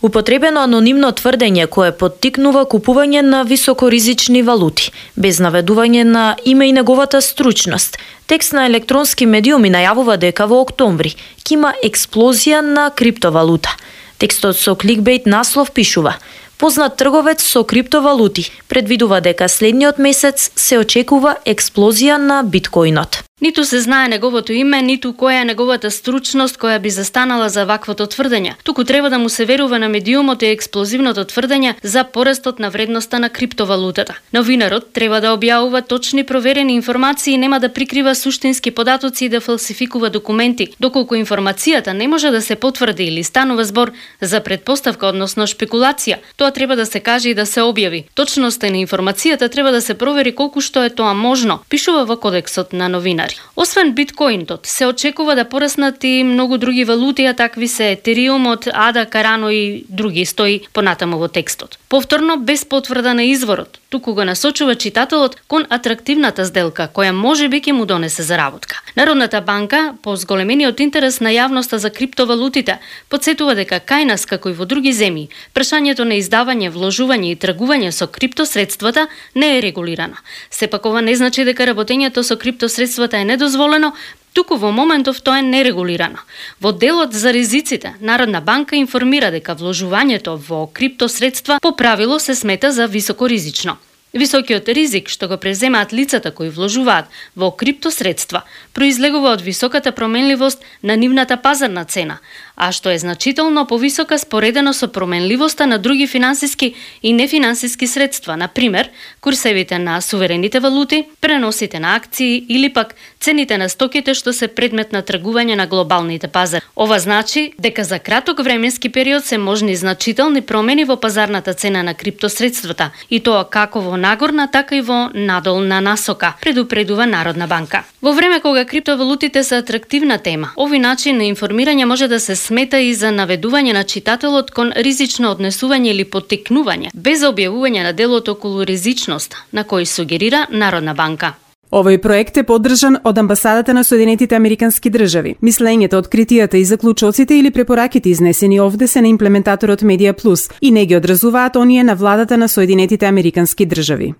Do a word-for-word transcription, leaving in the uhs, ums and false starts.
Употребено анонимно тврдење кое поттикнува купување на високоризични валути, без наведување на име и неговата стручност. Текст на електронски медиуми најавува дека во октомври ќе има експлозија на криптовалута. Текстот со кликбейт наслов пишува: познат трговец со криптовалути предвидува дека следниот месец се очекува експлозија на биткоинот. Ниту се знае неговото име, ниту која е неговата стручност која би застанала за ваквото тврдење. Туку треба да му се верува на медиумот и експлозивното тврдење за порастот на вредноста на криптовалутата. Новинарот треба да објавува точни проверени информации и нема да прикрива суштински податоци и да фалсификува документи, доколку информацијата не може да се потврди или станува збор за предпоставка, односно шпекулација. Тоа треба да се каже и да се објави. Точноста на информацијата треба да се провери колку што е тоа можно, пишува во кодексот на новинари. Освен биткоинот, се очекува да пораснат и многу други валути, а такви се етериумот, ада, карано и други, стои понатаму во текстот. Повторно, без потврда на изворот, туку го насочува читателот кон атрактивната сделка, која можеби ќе му донесе заработка. Народната банка, по зголемениот интерес на јавноста за криптовалутите, потсетува дека кај нас, како и во други земји, прашањето на издавање, вложување и тргување со криптосредствата не е регулирано. Сепак ова не значи дека работењето со криптосредствата е недозволено, туку во моментов тоа е нерегулирано. Во делот за ризиците, Народна банка информира дека вложувањето во криптосредства по правило се смета за високоризично. Високиот ризик што го преземаат лицата кои вложуваат во криптосредства произлегува од високата променливост на нивната пазарна цена, а што е значително повисока споредено со променливоста на други финансиски и нефинансиски средства, на пример, курсевите на суверените валути, преносите на акции или пак цените на стоките што се предмет на тргување на глобалните пазари. Ова значи дека за краток временски период се можни значителни промени во пазарната цена на криптосредствата, и тоа како во нагорна, така и во надолна насока, предупредува Народна банка. Во време кога криптовалутите се атрактивна тема, овој начин на информирање може да се смета и за наведување на читателот кон ризично однесување или поттикнување, без објавување на делот околу ризичност, на кој сугерира Народна банка. Овој проект е поддржан од Амбасадата на Соединетите Американски држави. Мислењето, откритијата и заклучоците или препораките изнесени овде се на имплементаторот Медија Плюс и не ги одразуваат оние на владата на Соединетите Американски држави.